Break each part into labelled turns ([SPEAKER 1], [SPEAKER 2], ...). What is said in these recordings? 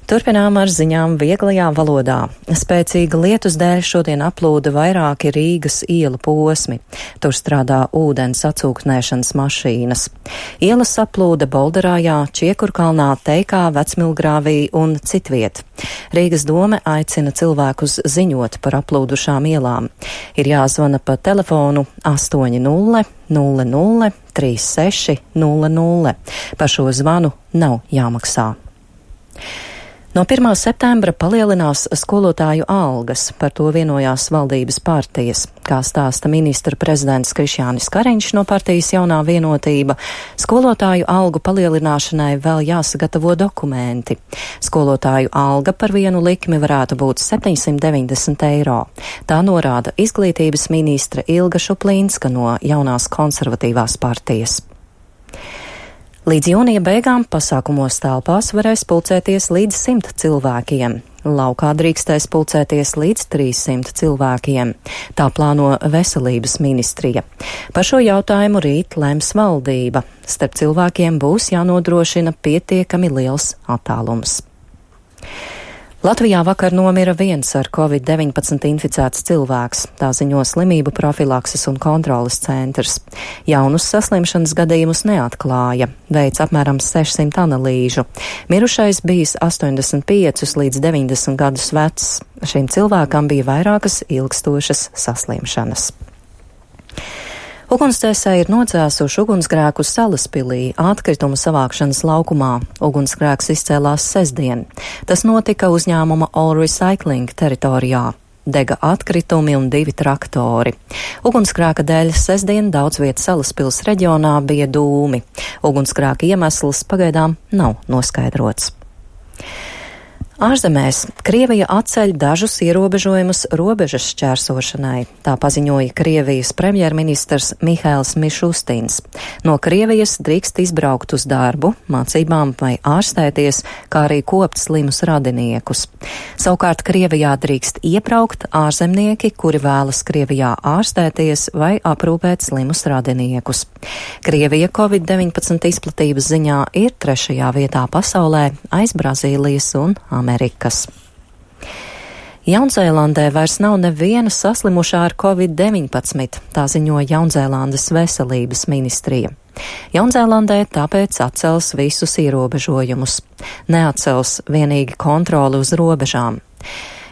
[SPEAKER 1] Turpinām ar ziņām vieglajā valodā. Spēcīga lietus dēļ šodien aplūda vairāki Rīgas ielu posmi. Tur strādā ūdens atsūknēšanas mašīnas. Ielas aplūda Bolderājā, Čiekurkalnā, Teikā, Vecmilgrāvī un citviet. Rīgas dome aicina cilvēkus ziņot par aplūdušām ielām. Ir jāzvana pa telefonu 800 00 36 00. Par šo zvanu nav jāmaksā. No 1. septembra palielinās skolotāju algas, par to vienojās valdības partijas. Kā stāsta ministra prezidents Krišjānis Kariņš no partijas Jaunā vienotība, skolotāju algu palielināšanai vēl jāsagatavo dokumenti. Skolotāju alga par vienu likmi varētu būt 790 eiro. Tā norāda izglītības ministre Ilga Šuplīnska no Jaunās konservatīvās partijas. Līdz jūnija beigām pasākumos telpās varēs pulcēties līdz 100 cilvēkiem. Laukā drīkstēs pulcēties līdz 300 cilvēkiem. Tā plāno veselības ministrija. Par šo jautājumu rīt lems valdība. Starp cilvēkiem būs jānodrošina pietiekami liels attālums. Latvijā vakar nomira viens ar Covid-19 inficēts cilvēks, tā ziņo Slimību profilakses un kontroles centrs. Jaunus saslimšanas gadījumus neatklāja, veic apmēram 600 analīžu. Mirušais bijis 85 līdz 90 gadus vecs. Šim cilvēkam bija vairākas ilgstošas saslimšanas. Ugunsdzēsēji ir nocēsuši ugunsgrēku Salaspilī, atkritumu savākšanas laukumā. Ugunsgrēks izcēlās sestdien. Tas notika uzņēmuma All Recycling teritorijā. Dega atkritumi un 2 traktori. Ugunsgrēka dēļ sestdien daudz vietas Salaspils reģionā bija dūmi. Ugunsgrēka iemesls pagaidām nav noskaidrots. Ārzemēs Krievija atceļ dažus ierobežojumus robežas šķērsošanai, tā paziņoja Krievijas premjerministrs Mihails Mišustins. No Krievijas drīkst izbraukt uz darbu, mācībām vai ārstēties, kā arī kopt slimus radiniekus. Savukārt Krievijā drīkst iebraukt ārzemnieki, kuri vēlas Krievijā ārstēties vai aprūpēt slimus radiniekus. Krievija Covid-19 izplatības ziņā ir 3. vietā pasaulē aiz Brazīlijas un Amerikas. Jaunzēlandē vairs nav neviena saslimušā ar Covid-19, tā ziņo Jaunzēlandes veselības ministrija. Jaunzēlandē tāpēc atcels visus ierobežojumus. Neatcels vienīgi kontroli uz robežām.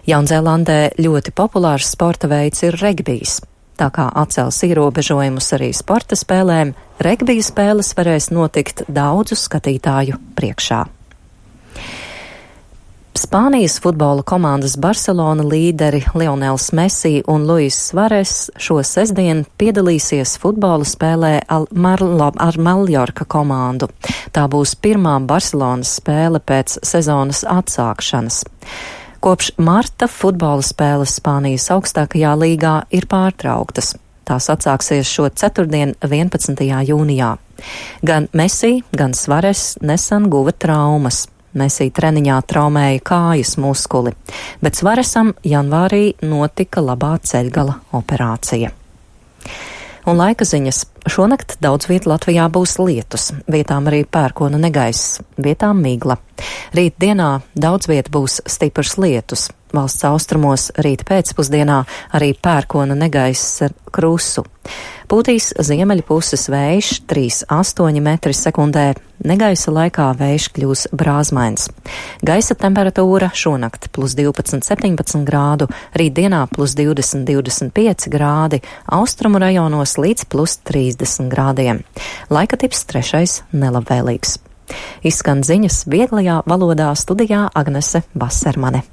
[SPEAKER 1] Jaunzēlandē ļoti populārs sporta veids ir regbijs. Tā kā atcels ierobežojumus arī sporta spēlēm, regbija spēles varēs notikt daudzu skatītāju priekšā. Spānijas futbola komandas Barcelona līderi Lionels Messi un Luis Suarez šo sestdienu piedalīsies futbola spēlē ar Mallorca komandu. Tā būs pirmā Barcelonas spēle pēc sezonas atsākšanas. Kopš marta futbola spēles Spānijas augstākajā līgā ir pārtrauktas. Tās atsāksies šo ceturtdien 11. jūnijā. Gan Messi, gan Suarez nesen guva traumas. Messi treniņā traumēja kājas muskuli, bet Suarezam janvārī notika labā ceļgala operācija. Un laika ziņas. Šonakt daudz viet Latvijā būs lietus, vietām arī pērkona negaiss, vietām migla. Rīt dienā daudz viet būs stiprs lietus. Valsts austrumos rīt pēcpusdienā arī pērkona negaiss ar krusu. Pūtīs ziemeļu puses vējš 3,8 metri sekundē, negaisa laikā vējš kļūs brāzmains. Gaisa temperatūra šonakt +12-17 grādu, rītdienā +20-25 grādi, austrumu rajonos līdz +30 grādiem. Laika tips 3. nelabvēlīgs. Izskan ziņas vieglajā valodā, studijā Agnese Basermane.